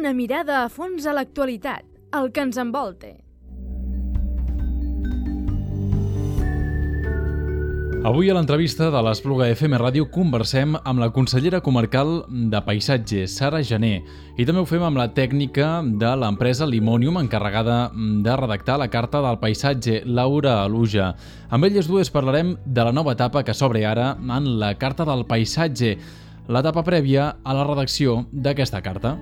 Una mirada a fons a l'actualitat, el que ens envolta. Avui a l'entrevista de l'Espluga FM Ràdio conversem amb la consellera comarcal de Paisatge, Sara Jané, i també ho fem amb la tècnica de l'empresa Limonium encarregada de redactar la Carta del Paisatge, Laura Aluja. Amb elles dues parlarem de la nova etapa que s'obre ara en la Carta del Paisatge, l'etapa prèvia a la redacció d'aquesta carta.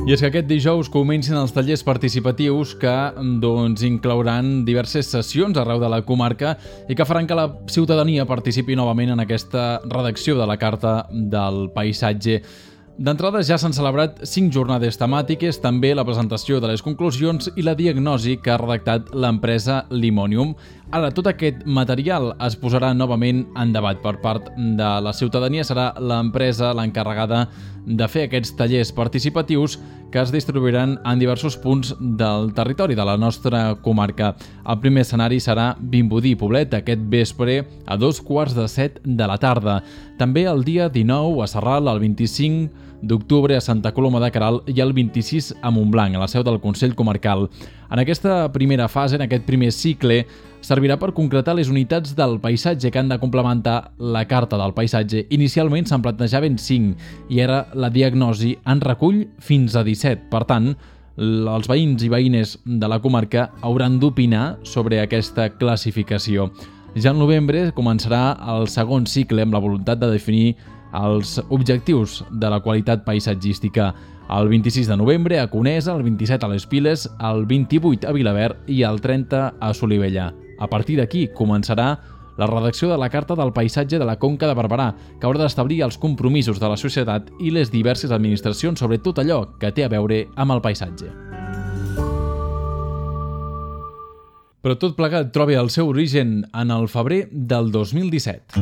I és que aquest dijous comencen els tallers participatius que inclouran diverses sessions arreu de la comarca i que faran que la ciutadania participi novament en aquesta redacció de la Carta del Paisatge. D'entrada ja s'han celebrat 5 jornades temàtiques, també la presentació de les conclusions i la diagnosi que ha redactat l'empresa Limonium. Ara, tot aquest material es posarà novament en debat per part de la ciutadania. Serà l'empresa l'encarregada de fer aquests tallers participatius que es distribuiran en diversos punts del territori de la nostra comarca. El primer escenari serà Vimbodí, Poblet, aquest vespre a 7:15 de la tarda. També el dia 19 a Sarral, el 25 d'octubre a Santa Coloma de Queralt i el 26 a Montblanc, a la seu del Consell Comarcal. En aquesta primera fase, en aquest primer cicle, servirà per concretar les unitats del paisatge que han de complementar la Carta del Paisatge. Inicialment se'n plantejaven 5 i ara la diagnosi en recull fins a 17. Per tant, els veïns i veïnes de la comarca hauran d'opinar sobre aquesta classificació. Ja al novembre començarà el segon cicle amb la voluntat de definir els objectius de la qualitat paisatgística. El 26 de novembre a Conesa, el 27 a les Piles, el 28 a Vilaverd i el 30 a Solivella. A partir d'aquí començarà la redacció de la Carta del Paisatge de la Conca de Barberà, que haurà d'establir els compromisos de la societat i les diverses administracions sobre tot allò que té a veure amb el paisatge. Però tot plegat troba el seu origen en el febrer del 2017.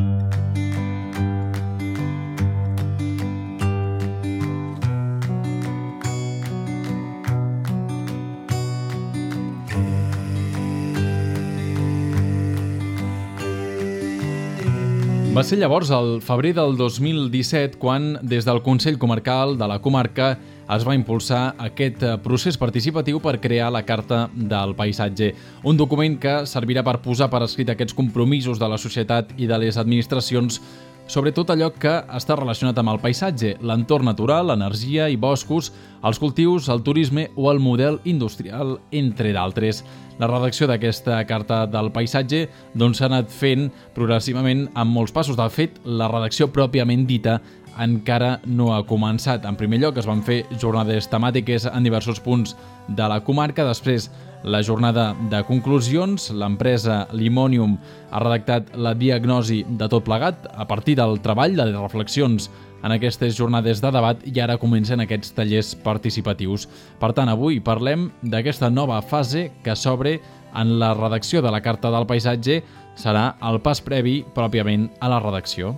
Va ser llavors, el febrer del 2017, quan des del Consell Comarcal de la comarca es va impulsar aquest procés participatiu per crear la Carta del Paisatge. Un document que servirà per posar per escrit aquests compromisos de la societat i de les administracions sobre tot allò que està relacionat amb el paisatge, l'entorn natural, l'energia i boscos, els cultius, el turisme o el model industrial, entre d'altres. La redacció d'aquesta Carta del Paisatge s'ha anat fent progressivament amb molts passos. De fet, la redacció pròpiament dita encara no ha començat. En primer lloc, es van fer jornades temàtiques en diversos punts de la comarca. Després, la jornada de conclusions. L'empresa Limonium ha redactat la diagnosi de tot plegat a partir del treball, de les reflexions en aquestes jornades de debat, i ara comencen aquests tallers participatius. Per tant, avui parlem d'aquesta nova fase que s'obre en la redacció de la Carta del Paisatge. Serà el pas previ pròpiament a la redacció.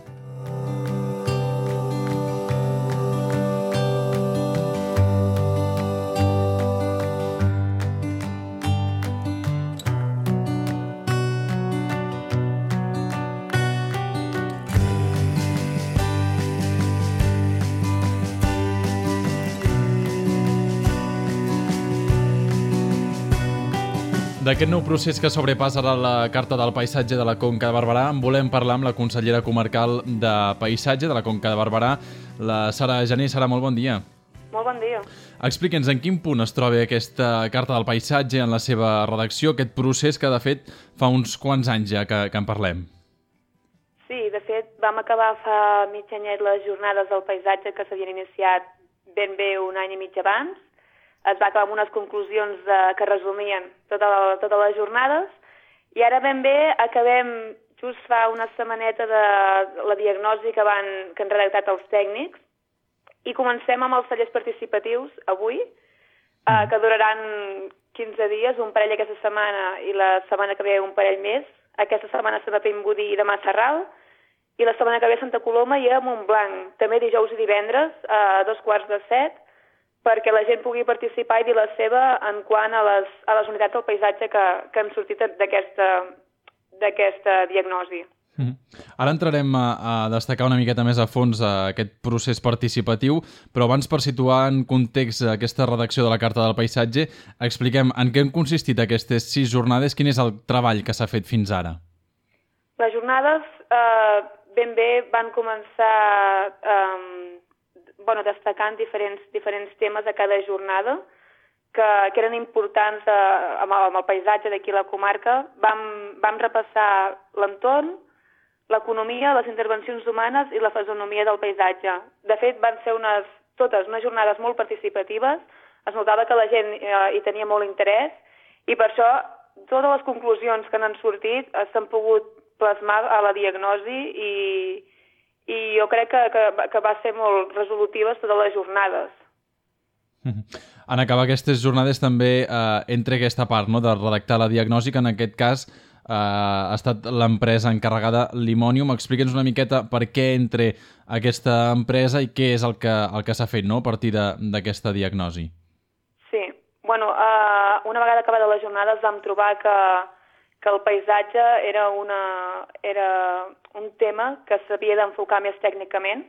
D'aquest nou procés que sobrepassa la Carta del Paisatge de la Conca de Barberà en volem parlar amb la consellera comarcal de Paisatge de la Conca de Barberà, la Sara Jané. Sara, molt bon dia. Molt bon dia. Explique'ns en quin punt es troba aquesta Carta del Paisatge en la seva redacció, aquest procés que, de fet, fa uns quants anys ja que en parlem. Sí, de fet, vam acabar fa mig anyet les jornades del paisatge que s'havien iniciat ben bé un any i mig abans. Es va acabar amb unes conclusions que resumien totes les jornades i ara ben bé acabem just fa una setmaneta de la diagnosi que han redactat els tècnics i comencem amb els tallers participatius avui, que duraran 15 dies, un parell aquesta setmana i la setmana que ve un parell més. Aquesta setmana serà a Vimbodí i demà a Sarral i la setmana que ve a Santa Coloma i a Montblanc. També dijous i divendres a 7:15 perquè la gent pugui participar i dir la seva en quant a les unitats del paisatge que han sortit d'aquesta diagnosi. Ara entrarem a destacar una miqueta més a fons aquest procés participatiu, però abans, per situar en context aquesta redacció de la Carta del Paisatge, expliquem en què han consistit aquestes 6 jornades, quin és el treball que s'ha fet fins ara. Les jornades ben bé van començar destacant diferents temes a cada jornada que eren importants amb el paisatge d'aquí a la comarca. Vam repassar l'entorn, l'economia, les intervencions humanes i la fisonomia del paisatge. De fet, van ser totes unes jornades molt participatives, es notava que la gent hi tenia molt interès i per això totes les conclusions que n'han sortit s'han pogut plasmar a la diagnosi i jo crec que va ser molt resolutiva totes les jornades. En acabar aquestes jornades també entra aquesta part, no?, de redactar la diagnosi, que en aquest cas ha estat l'empresa encarregada, Limonium. Explica'ns una miqueta per què entra aquesta empresa i què és el que s'ha fet, no?, a partir d'aquesta diagnosi. Sí, una vegada acabada la jornada vam trobar que el paisatge era un tema que s'havia d'enfocar més tècnicament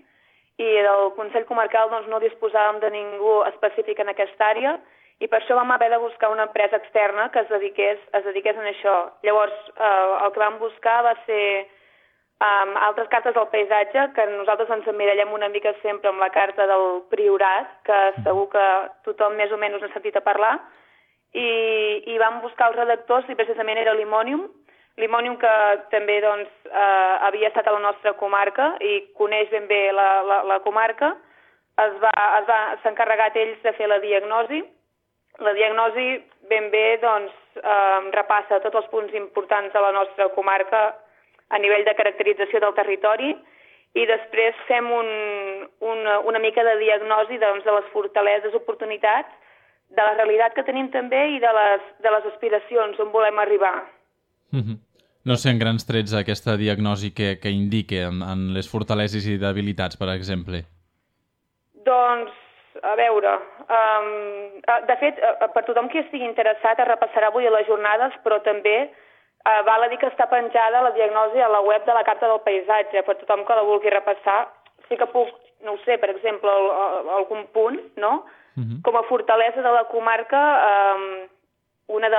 i del Consell Comarcal no disposàvem de ningú específic en aquesta àrea i per això vam haver de buscar una empresa externa que es dediqués a això. Llavors, el que vam buscar va ser altres cartes del paisatge, que nosaltres ens emmirallem una mica sempre amb la carta del Priorat, que segur que tothom més o menys n'ha sentit a parlar, i vam buscar els redactors i precisament era Limonium, que també havia estat a la nostra comarca i coneix ben bé la comarca. S'ha encarregat ells de fer la diagnosi. La diagnosi ben bé repassa tots els punts importants de la nostra comarca a nivell de caracterització del territori i després fem una mica de diagnosi de les fortaleses, oportunitats, de la realitat que tenim també i de les aspiracions on volem arribar. No sé en grans trets aquesta diagnosi que indique en les fortaleses i debilitats, per exemple. Doncs, a veure, de fet, per tothom que estigui interessat es repassarà avui a les jornades, però també val a dir que està penjada la diagnosi a la web de la Carta del Paisatge, per tothom que la vulgui repassar. Sí que puc, no ho sé, per exemple, algun punt, no?, com a fortalesa de la comarca, unes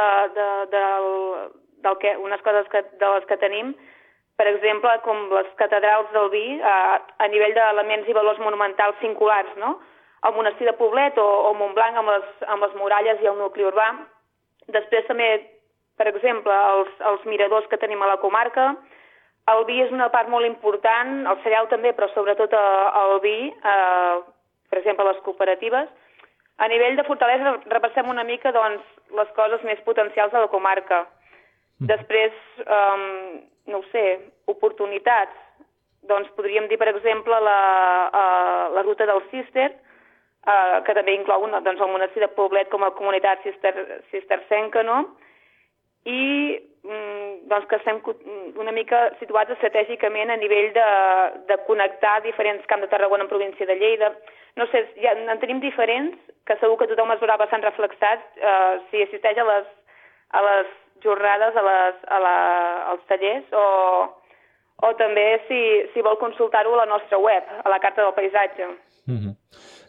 coses de les que tenim, per exemple, com les catedrals del vi, a nivell d'elements i valors monumentals singulars, no? El monestir de Poblet o Montblanc amb les muralles i el nucli urbà. Després també, per exemple, els miradors que tenim a la comarca. El vi és una part molt important, el cereal també, però sobretot el vi, per exemple, les cooperatives. A nivell de fortalesa repassem una mica les coses més potencials de la comarca. Després, no ho sé, oportunitats. Podríem dir, per exemple, la ruta del Cister, que també inclou el monestir de Poblet com a comunitat cistercenca, no? I que estem una mica situats estratègicament a nivell de connectar diferents camps de Tarragona en província de Lleida. No sé, en tenim diferents, que segur que tothom es veurà bastant reflexat si assisteix a les jornades, als tallers, o també si vol consultar-ho a la nostra web, a la Carta del Paisatge.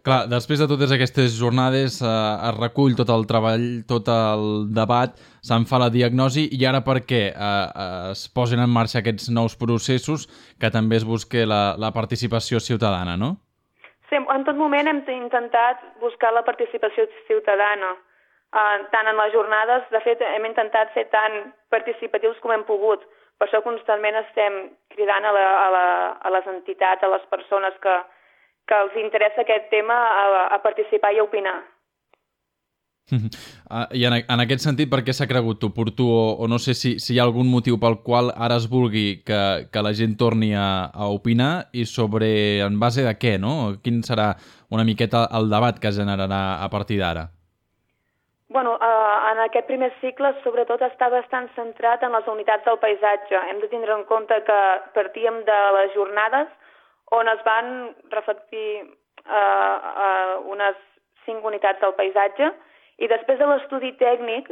Clar, després de totes aquestes jornades es recull tot el treball, tot el debat, se'n fa la diagnosi i ara per què es posen en marxa aquests nous processos que també es busqui la participació ciutadana, no? Sí, en tot moment hem intentat buscar la participació ciutadana, tant en les jornades, de fet hem intentat ser tan participatius com hem pogut, per això constantment estem cridant a les entitats, a les persones que els interessa aquest tema a participar i a opinar. I en aquest sentit, per què s'ha cregut oportú o no sé si hi ha algun motiu pel qual ara es vulgui que la gent torni a opinar i en base de què, no? Quin serà una miqueta el debat que es generarà a partir d'ara? En aquest primer cicle, sobretot, està bastant centrat en les unitats del paisatge. Hem de tindre en compte que partíem de les jornades on es van reflectir unes 5 unitats del paisatge, i després de l'estudi tècnic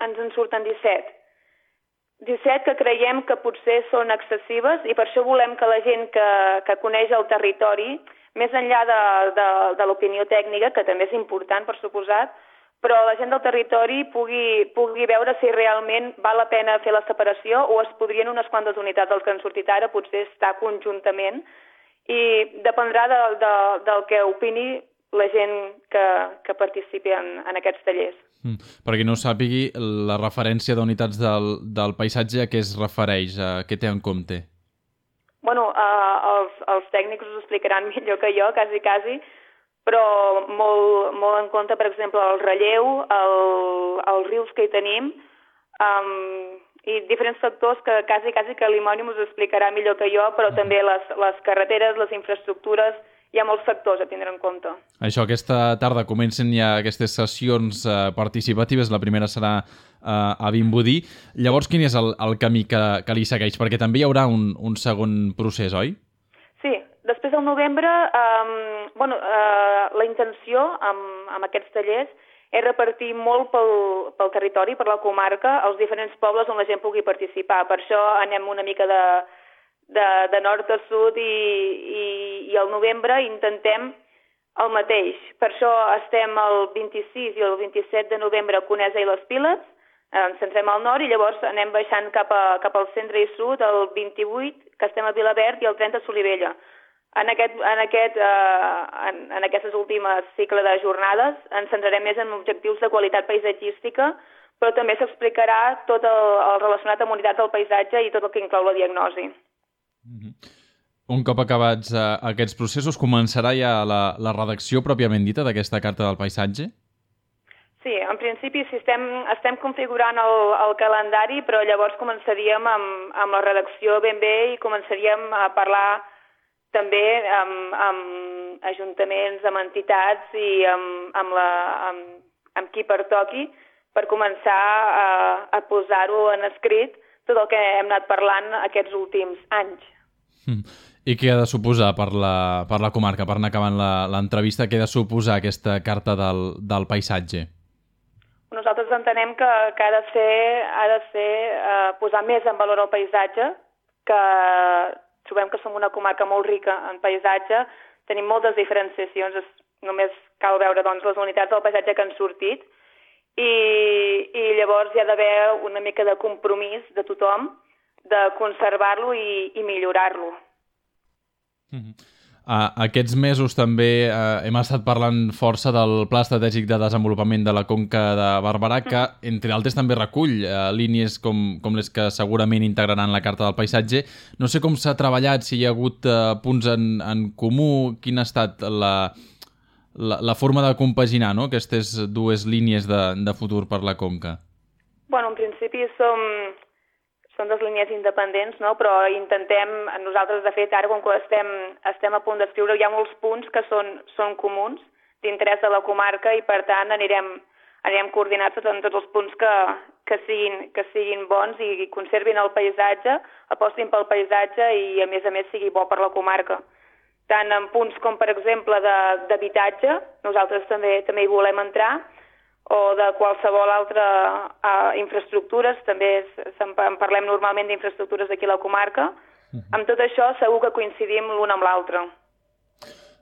ens en surten 17. 17 que creiem que potser són excessives i per això volem que la gent que coneix el territori, més enllà de l'opinió tècnica, que també és important, per suposat, però la gent del territori pugui veure si realment val la pena fer la separació o es podrien unes quantes unitats dels que han sortit ara potser estar conjuntament, i dependrà del que opini la gent que participi en aquests tallers. Per qui no ho sàpigui, la referència d'unitats del paisatge a què es refereix, a què té en compte? Bueno, els tècnics us explicaran millor que jo, quasi, però molt en compte, per exemple, el relleu, els rius que hi tenim, i diferents factors que quasi que l'Imònim us explicarà millor que jo, però també les carreteres, les infraestructures, hi ha molts factors a tindre en compte. Això, aquesta tarda comencen ja aquestes sessions participatives, la primera serà a Vimbodí. Llavors, quin és el camí que li segueix? Perquè també hi haurà un segon procés, oi? Sí, després del novembre, la intenció amb aquests tallers és repartir molt pel territori, per la comarca, als diferents pobles on la gent pugui participar. Per això anem una mica de nord a sud i al novembre intentem el mateix. Per això estem el 26 i el 27 de novembre a Conesa i les Piles, ens centrem al nord i llavors anem baixant cap al centre i sud, el 28, que estem a Vilaverd, i el 30 a Solivella. En aquestes últimes cicle de jornades ens centrarem més en objectius de qualitat paisatgística, però també s'explicarà tot el relacionat amb unitats del paisatge i tot el que inclou la diagnosi. Un cop acabats aquests processos, començarà ja la redacció pròpiament dita d'aquesta Carta del Paisatge? Sí, en principi sí, estem configurant el calendari, però llavors començaríem amb la redacció ben bé i començaríem a parlar també amb ajuntaments, amb entitats i amb qui pertoqui per començar a posar-ho en escrit tot el que hem anat parlant aquests últims anys. I què ha de suposar per la comarca, per anar acabant l'entrevista, què ha de suposar aquesta Carta del Paisatge? Nosaltres entenem que ha de ser posar més en valor el paisatge, que trobem que som una comarca molt rica en paisatge, tenim moltes diferenciacions, només cal veure doncs, les unitats del paisatge que han sortit, i llavors hi ha d'haver una mica de compromís de tothom de conservar-lo i millorar-lo. Aquests mesos també hem estat parlant força del Pla Estratègic de Desenvolupament de la Conca de Barberà, que, entre altres, també recull línies com les que segurament integraran la Carta del Paisatge. No sé com s'ha treballat, si hi ha hagut punts en comú, quina ha estat la forma de compaginar, no?, aquestes dues línies de futur per la Conca. Bueno, en principi són dues línies independents, no? Però intentem, nosaltres de fet ara com que estem a punt d'escriure, hi ha molts punts que són comuns d'interès de la comarca i per tant anirem coordinats en tots els punts que siguin bons i conservin el paisatge, apostin pel paisatge i a més sigui bo per la comarca. Tant en punts com per exemple d'habitatge, nosaltres també hi volem entrar, o de qualsevol altra infraestructures, també en parlem normalment d'infraestructures d'aquí a la comarca. Amb tot això segur que coincidim l'un amb l'altre.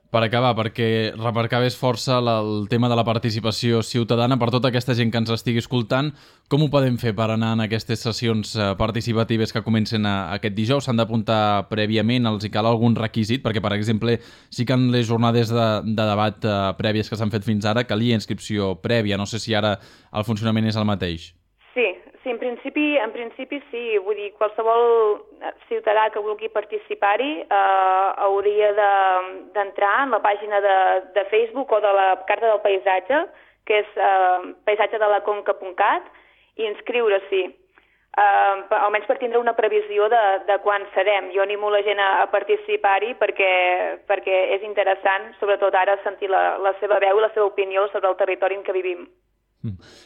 Per acabar, perquè remarcaves força el tema de la participació ciutadana, per tota aquesta gent que ens estigui escoltant, com ho podem fer per anar en aquestes sessions participatives que comencen aquest dijous? S'han d'apuntar prèviament? Els hi cal algun requisit? Perquè, per exemple, sí que en les jornades de debat prèvies que s'han fet fins ara calia inscripció prèvia. No sé si ara el funcionament és el mateix. Sí, en principi sí. Vull dir, qualsevol ciutadà que vulgui participar-hi hauria d'entrar en la pàgina de Facebook o de la Carta del Paisatge, que és paisatgedelaconca.cat, i inscriure-s'hi, almenys per tindre una previsió de quan serem. Jo animo la gent a participar-hi perquè és interessant, sobretot ara, sentir la seva veu i la seva opinió sobre el territori en què vivim.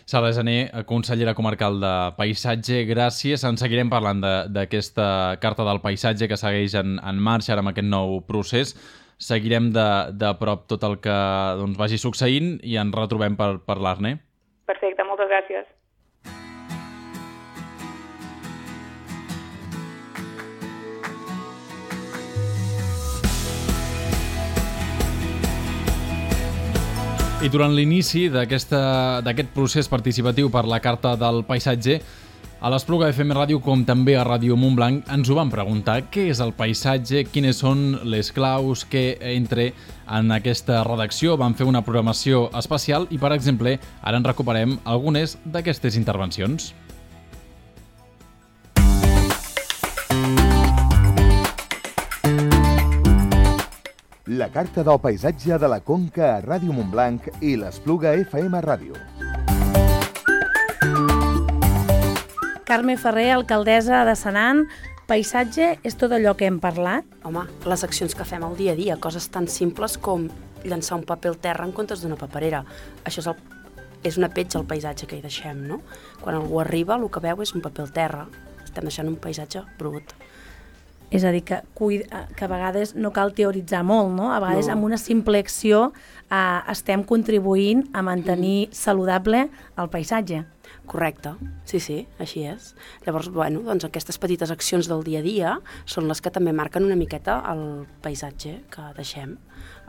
Sara Gené, consellera comarcal de Paisatge, gràcies. En seguirem parlant d'aquesta Carta del Paisatge que segueix en marxa ara amb aquest nou procés. seguirem de prop tot el que vagi succeint i ens retrobem per parlar-ne. Perfecte, moltes gràcies. I durant l'inici d'aquest procés participatiu per la Carta del Paisatge, a l'Espluga FM Ràdio, com també a Ràdio Montblanc, ens ho van preguntar. Què és el paisatge? Quines són les claus que entre en aquesta redacció? Vam fer una programació especial i, per exemple, ara en recuperem algunes d'aquestes intervencions. La Carta del Paisatge de la Conca a Ràdio Montblanc i l'Espluga FM Ràdio. Carme Ferrer, alcaldessa de Senan. Paisatge és tot allò que hem parlat? Home, les accions que fem al dia a dia, coses tan simples com llançar un paper al terra en comptes d'una paperera. Això és una petja al paisatge que hi deixem, no? Quan algú arriba, el que veu és un paper al terra. Estem deixant un paisatge brut. És a dir, que a vegades no cal teoritzar molt, no? A vegades amb una simple acció estem contribuint a mantenir saludable el paisatge. Correcte, sí, així és. Llavors, doncs aquestes petites accions del dia a dia són les que també marquen una miqueta el paisatge que deixem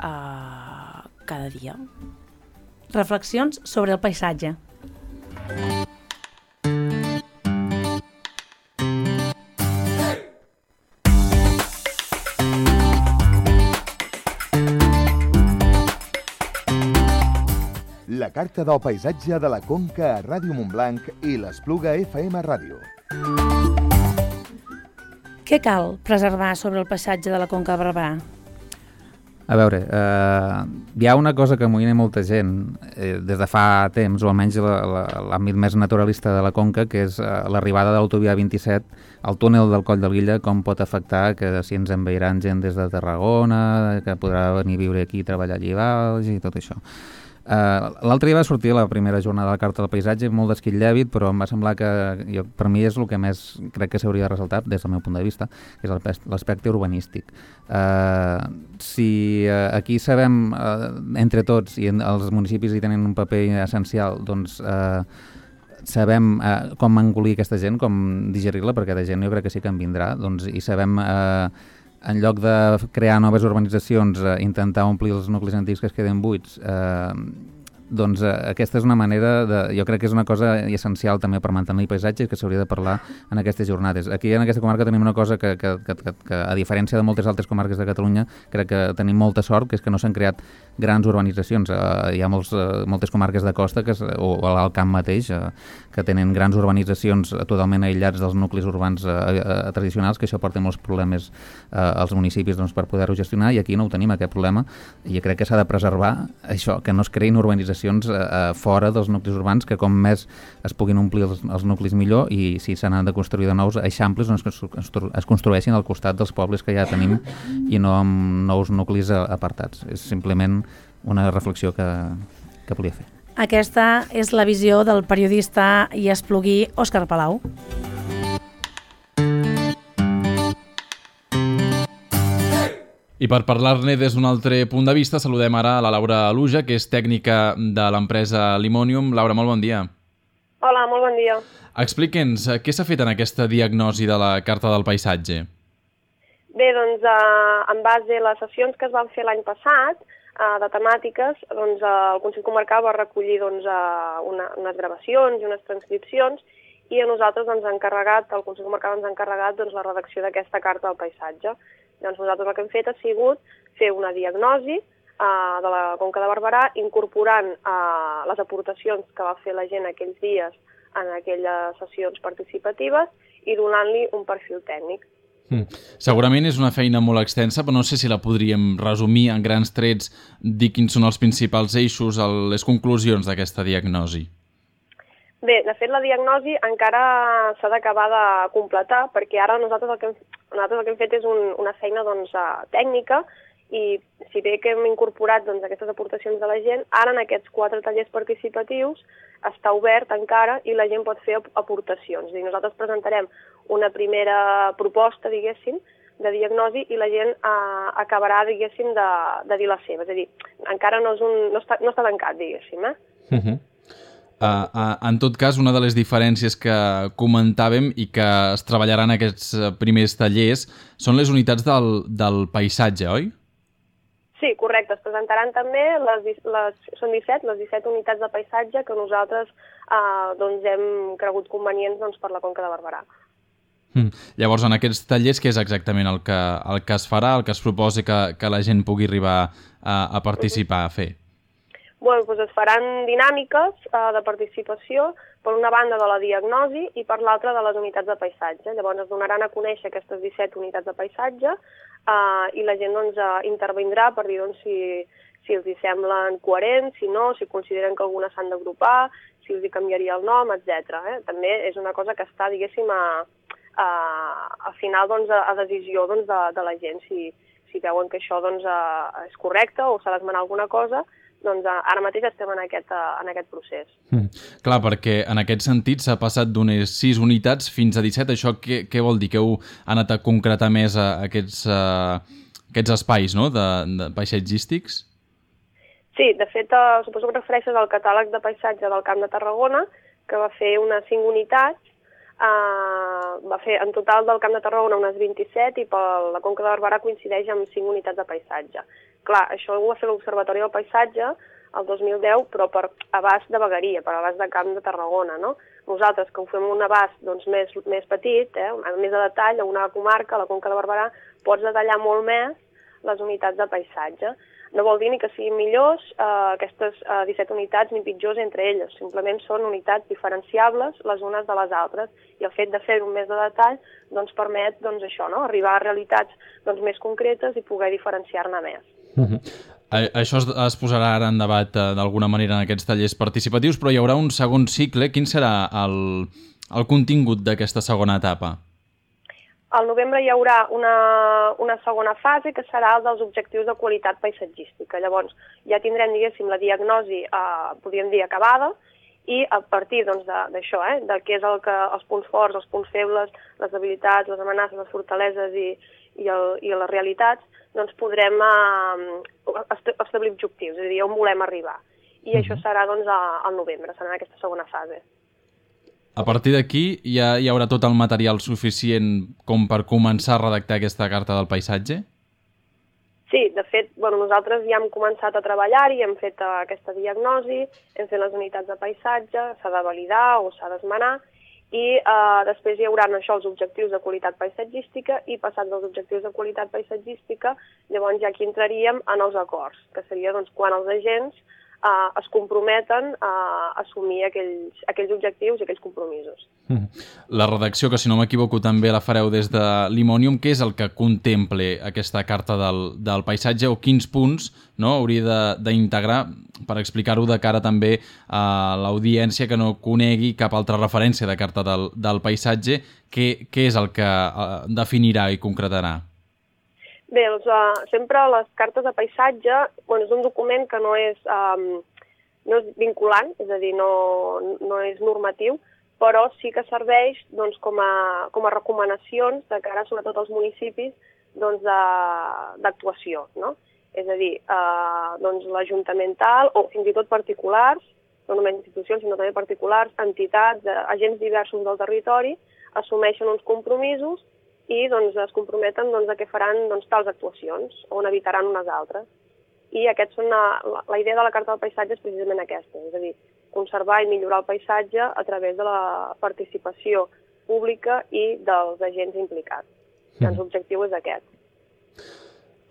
cada dia. Reflexions sobre el paisatge. La Carta del Paisatge de la Conca a Ràdio Montblanc i l'Espluga FM Ràdio. Què cal preservar sobre el paisatge de la Conca de Barberà? A veure, hi ha una cosa que amoïna molta gent des de fa temps, o almenys l'àmbit més naturalista de la Conca, que és l'arribada de l'autovia 27 al túnel del Coll de Lilla, com pot afectar que si ens envairan gent des de Tarragona, que podrà venir a viure aquí i treballar allí baix i tot això. L'altre dia va sortir la primera jornada de la Carta del Paisatge, molt d'esquitllèbit, però em va semblar que per mi és el que més crec que s'hauria de ressaltar des del meu punt de vista, que és l'aspecte urbanístic. Si aquí sabem entre tots, i els municipis hi tenen un paper essencial, doncs sabem com engolir aquesta gent, com digerir-la, perquè de gent jo crec que sí que en vindrà, doncs, i sabem en lloc de crear noves urbanitzacions, intentar omplir els nuclis antics que es queden buits, doncs aquesta és una manera jo crec que és una cosa essencial també per mantenir el paisatge, que s'hauria de parlar en aquestes jornades. Aquí en aquesta comarca tenim una cosa que a diferència de moltes altres comarques de Catalunya, crec que tenim molta sort, que és que no s'han creat grans urbanitzacions. Hi ha moltes comarques de costa o al camp mateix que tenen grans urbanitzacions totalment aïllats dels nuclis urbans tradicionals, que això porta molts problemes als municipis per poder-ho gestionar, i aquí no ho tenim, aquest problema, i crec que s'ha de preservar això, que no es creïn urbanitzacions fora dels nuclis urbans, que com més es puguin omplir els nuclis millor, i si se n'han de construir de nous eixamples, doncs es construeixin al costat dels pobles que ja tenim i no amb nous nuclis apartats. És simplement una reflexió que volia fer. Aquesta és la visió del periodista i espluguí Òscar Palau. I per parlar-ne des d'un altre punt de vista, saludem ara a la Laura Aluja, que és tècnica de l'empresa Limonium. Laura, molt bon dia. Hola, molt bon dia. Explique'ns, què s'ha fet en aquesta diagnosi de la Carta del Paisatge? Bé, doncs, en base a les sessions que es van fer l'any passat, de temàtiques, doncs, el Consell Comarcal va recollir unes gravacions i unes transcripcions, i a nosaltres el Consell Comarcal ens ha encarregat la redacció d'aquesta Carta del Paisatge. Doncs nosaltres el que hem fet ha sigut fer una diagnosi de la Conca de Barberà, incorporant les aportacions que va fer la gent aquells dies en aquelles sessions participatives i donant-li un perfil tècnic. Segurament és una feina molt extensa, però no sé si la podríem resumir en grans trets, dir quins són els principals eixos, les conclusions d'aquesta diagnosi. Bé, de fet, la diagnosi encara s'ha d'acabar de completar, perquè ara nosaltres el que hem fet és una feina tècnica, i si bé que hem incorporat aquestes aportacions de la gent, ara en aquests 4 tallers participatius està obert encara i la gent pot fer aportacions. És a dir, nosaltres presentarem una primera proposta, diguéssim, de diagnosi i la gent acabarà, diguéssim, de dir la seva. És a dir, encara no està tancat, diguéssim. En tot cas, una de les diferències que comentàvem i que es treballaran aquests primers tallers són les unitats del paisatge, oi? Sí, correcte. Es presentaran també, són 17, les 17 unitats de paisatge que nosaltres hem cregut convenients per la Conca de Barberà. Llavors, en aquests tallers, què és exactament el que es farà, el que es proposa que la gent pugui arribar a participar, a fer? Doncs es faran dinàmiques de participació, per una banda de la diagnosi i per l'altra de les unitats de paisatge. Llavors es donaran a conèixer aquestes 17 unitats de paisatge i la gent intervindrà per dir si els hi semblen coherents, si no, si consideren que algunes s'han d'agrupar, si els hi canviaria el nom, etc. També és una cosa que està, diguéssim, al final a decisió de la gent. Si veuen que això és correcte o s'ha d'esmenar alguna cosa, doncs ara mateix estem en aquest procés. Clar, perquè en aquest sentit s'ha passat d'unes 6 unitats fins a 17. Això què vol dir? Que heu anat a concretar més aquests espais, no?, de paisatgístics? Sí, de fet, suposo que refereixes al catàleg de paisatge del Camp de Tarragona, que va fer unes 5 unitats, va fer en total del Camp de Tarragona unes 27 i per la Conca de Barberà coincideix amb 5 unitats de paisatge. Clar, això ho va fer l'Observatori del Paisatge el 2010, però per abast de vegueria, per abast de Camp de Tarragona, no? Nosaltres, que ho fem un abast més petit, més de detall, a una comarca, a la Conca de Barberà, pots detallar molt més les unitats de paisatge. No vol dir ni que siguin millors aquestes 17 unitats ni pitjors entre elles, simplement són unitats diferenciables les unes de les altres i el fet de fer-ho més de detall permet això, arribar a realitats més concretes i poder diferenciar-ne més. Això es posarà ara en debat d'alguna manera en aquests tallers participatius, però hi haurà un segon cicle. Quin serà el contingut d'aquesta segona etapa? Al novembre hi haurà una segona fase que serà el dels objectius de qualitat paisatgística. Llavors ja tindrem, diguéssim, la diagnosi, podríem dir, acabada, i a partir d'això, de què és els punts forts, els punts febles, les debilitats, les amenaces, les fortaleses i les realitats, doncs podrem establir objectius, és a dir, on volem arribar. I això serà al novembre, serà en aquesta segona fase. A partir d'aquí ja hi haurà tot el material suficient com per començar a redactar aquesta carta del paisatge? Sí, de fet, nosaltres ja hem començat a treballar-hi, hem fet aquesta diagnosi, hem fet les unitats de paisatge, s'ha de validar o s'ha d'esmenar, i després hi haurà els objectius de qualitat paisatgística i passats dels objectius de qualitat paisatgística, llavors ja aquí entraríem en els acords, que seria quan els agents es comprometen a assumir aquells objectius i aquells compromisos. La redacció, que si no m'equivoco també la fareu des de l'Imònium, què és el que contemple aquesta carta del paisatge o quins punts hauria d'integrar per explicar-ho de cara també a l'audiència que no conegui cap altra referència de carta del paisatge? Què és el que definirà i concretarà? Bé, sempre les cartes de paisatge és un document que no és vinculant, és a dir, no és normatiu, però sí que serveix com a recomanacions de cara sobretot als municipis d'actuació, no? És a dir, l'ajunamental o fins i tot particulars, no només institucions sinó també particulars, entitats, agents diversos del territori, assumeixen uns compromisos i es comprometen a què faran tals actuacions o n'evitaran unes altres. I la idea de la Carta del Paisatge és precisament aquesta, és a dir, conservar i millorar el paisatge a través de la participació pública i dels agents implicats. L'objectiu és aquest.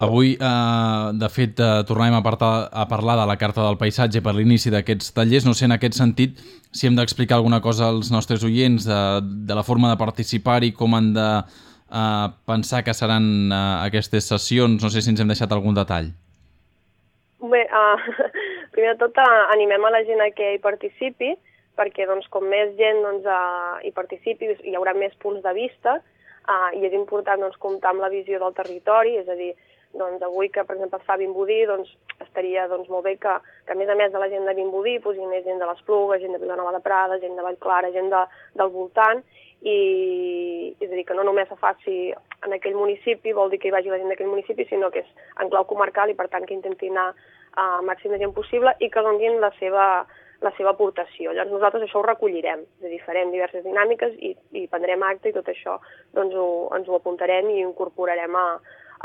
Avui, de fet, tornem a parlar de la Carta del Paisatge per l'inici d'aquests tallers. No sé, en aquest sentit, si hem d'explicar alguna cosa als nostres oients de la forma de participar-hi, com han de pensar que seran aquestes sessions, no sé si ens hem deixat algun detall. Bé, primer de tot animem a la gent a que hi participi, perquè com més gent hi participi hi haurà més punts de vista i és important comptar amb la visió del territori, és a dir, doncs avui que, per exemple, es fa Vimbodí, doncs estaria molt bé que a més de la gent de Vimbodí posi més gent de l'Espluga, gent de Vilanova de Prada, gent de Vallclara, gent del voltant, i és a dir, que no només se faci en aquell municipi, vol dir que hi vagi la gent d'aquell municipi, sinó que és en clau comarcal i per tant que intenti anar al màxim de gent possible i que donin la seva aportació. Llavors nosaltres això ho recollirem, és a dir, farem diverses dinàmiques i prendrem acte i tot això doncs ens ho apuntarem i ho incorporarem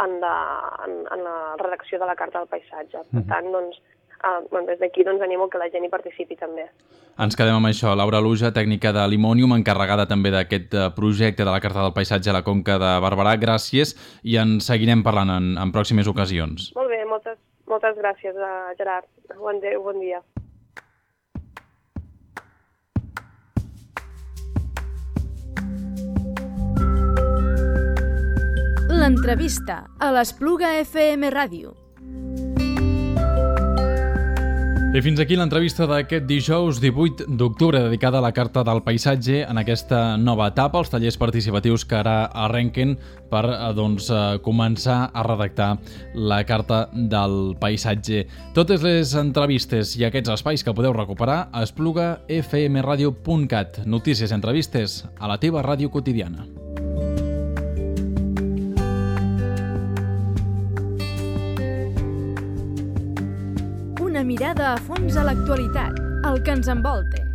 en la redacció de la Carta del Paisatge. Per tant, doncs, des d'aquí animo que la gent hi participi també. Ens quedem amb això. Laura Luja, tècnica de Limonium, encarregada també d'aquest projecte de la Carta del Paisatge a la Conca de Barberà. Gràcies i en seguirem parlant en pròximes ocasions. Molt bé, moltes gràcies, Gerard. Bon dia. L'entrevista a l'Espluga FM Ràdio. I fins aquí l'entrevista d'aquest dijous 18 d'octubre dedicada a la Carta del Paisatge en aquesta nova etapa, els tallers participatius que ara arrenquen per començar a redactar la Carta del Paisatge. Totes les entrevistes i aquests espais que podeu recuperar a esplugafmradio.cat. Notícies i entrevistes a la teva ràdio quotidiana. Una mirada a fons a l'actualitat, el que ens envolta.